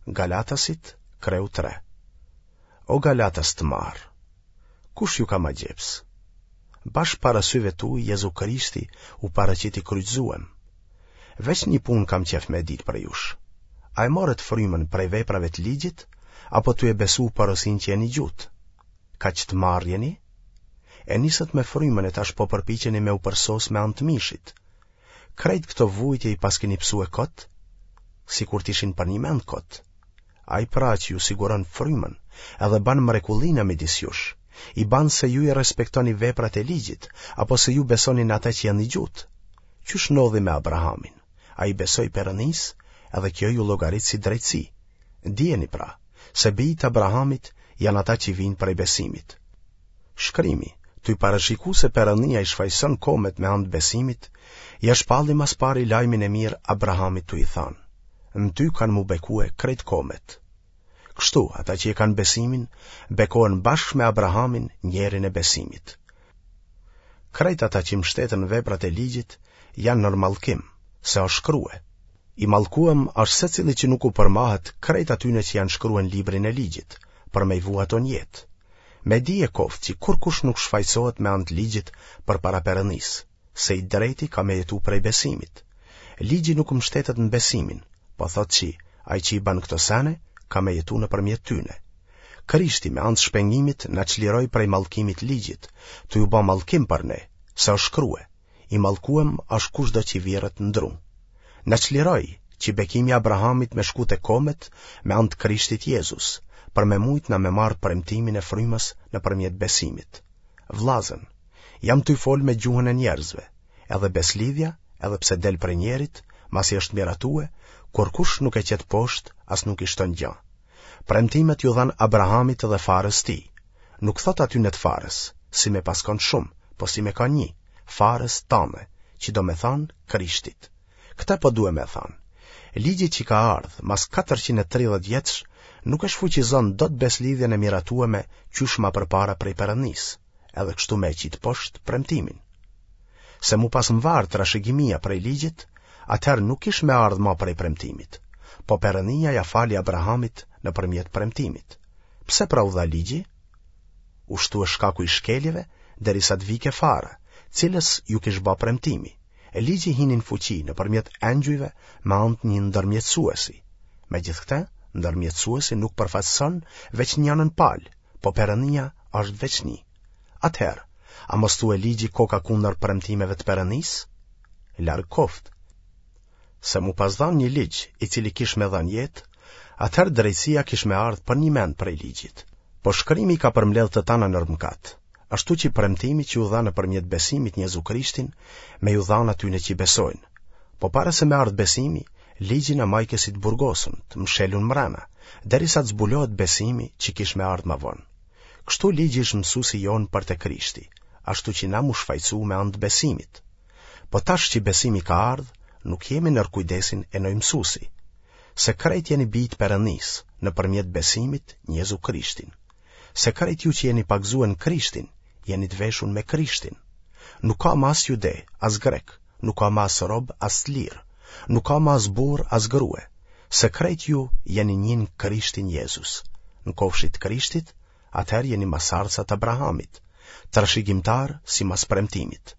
Galatasit, kreu 3. O Galatas të marrë, kush ju ka magjeps? Bash para syve tuj Jezu Krishti u paraqit i kryqëzuem. Veç një punë kam qef me ditë prej jush. A e morët frymën prej veprave të ligjit, apo tu e besu porosinë që e nigjutë? Kaq të marrë jeni? E nisët me frymën e tash po përpiqeni me u përsos me anë të mishit. Krejt këto vujtje i paskeni pësue kot, sikur t'ishin përnjëmend kot. Ai pra që ju siguron frymën, edhe ban mrekullina midis jush, i ban se ju i respektoni veprat e ligjit, apo se ju besoni në atë që e nigjutë. Qysh ndodhi me Abrahamin, ai besoi Perënisë, edhe kjo iu llogarit si drejtësi. Dijeni pra, se bijtë e Abrahamit janë ata që vijnë prej besimit. Shkrimi, tuj parashiku se Perënia i shfajëson komet me anë të besimit, ia shpalli ma s'pari lajmin e mirë Abrahamit tuj i thanë, në ty kanë m'u bekue krejt komet. Kështu, ata që e kanë besimin, bekohen bashkë me Abrahamin, njerin e besimit. Krejt ata që mshteten në veprat e ligjit, janë nër mallkim, se është shkrue. I mallkuem është secili që nuk u përmahet krejt atyne që janë shkrue në librin e ligjit, për me i vu ato në jetë. Me dije koftë që kurkush nuk shfajësohet me anë të ligjit përpara Perëndisë, se i drejti ka me jetu prej besimit. Ligji nuk mbështetet në besimin, po thotë që ai që i ban këto sene, ka me jetu nëpërmjet tyne. Krishti me anë të shpengimit na çliroi prej mallkimit të ligjit, tuj u ba mallkim për ne, se është shkrue, I mallkuem është kushdo që virret në dru. Na çliroi, që bekimi i Abrahamit me shku te komet me anë të Krishtit Jezus, për me mujt na me marrë premtimin e frymës nëpërmjet besimit. Vllazën, jam tuj folë me gjuhën e njerëzve, edhe beslidhja, edhe pse del prej njerit, masi është miratue, kurkush nuk e qet poshtë, as nuk i shton gja. Premtimet iu dhanë Abrahamit dhe farës tij. Nuk thotë atyne të farës, si me pas kanë shumë, po si me kanë nji, farës tane, që do me thanë Krishtit. Këtë po due me thanë. Ligji që ka ardhë, mas 430 vjetësh, nuk e shfuqizon dot beslidhjen e miratueme qysh ma përpara prej Perëndisë, edhe kështu me e qitë poshtë premtimin. Se m'u pas mvarë trashëgimia prej ligjit, atëherë nuk kish me ardhë ma prej premtimit, po Perëndia ia fali Abrahamit nëpërmjet premtimit. Pse pra u dha ligji? U shtue shkaku i shkeljeve, derisa të vike fara, cilës iu kish ba premtimi, e ligji hini në fuqi nëpërmjet engjujve me anë të një ndërmjetësuesi. Megjithëkëtë, ndërmjetësuesi nuk përfaqëson veç njënën palë, po Perëndia është veç një. Atëherë, a mos thue ligji koka kundër premtimeve të Perëndisë? Larg koftë. Se m'u pas dhanë një ligj i cili kish me dhanë jetë, atëherë drejtësia kish me ardhë përnjëmend prej ligjit. Po shkrimi i ka përmbledhë të tana nër mëkat, ashtu që premtimi që u dha nëpërmjet besimit në Jezu Krishtin, me iu dhanë atyne që besojnë. Po para se me ardhë besimi, ligji na majke si të burgosun, të mshelun mrena, derisa të zbulohet besimi që kish me ardhë ma vonë. Kështu ligji është mësusi jonë për te Krishti, ashtu që na m'u shfajësu me anë të besimit. Po tash që besimi ka ardhë, nuk jemi nër kujdesin e noj mësusi. Se krejt jeni bij të Perëndisë, nëpërmjet besimit në Jezu Krishtin. Se krejt ju që jeni pagëzue në Krishtin, jeni të veshun me Krishtin. Nuk ka ma as jude, as grek, nuk ka ma as rob, as të lirë, nuk ka ma as burrë, as grue, se krejt ju jeni një në Krishtin Jezus. Në kofshit të Krishtit, atëherë jeni masarca të Abrahamit, trashëgimtarë simas premtimit.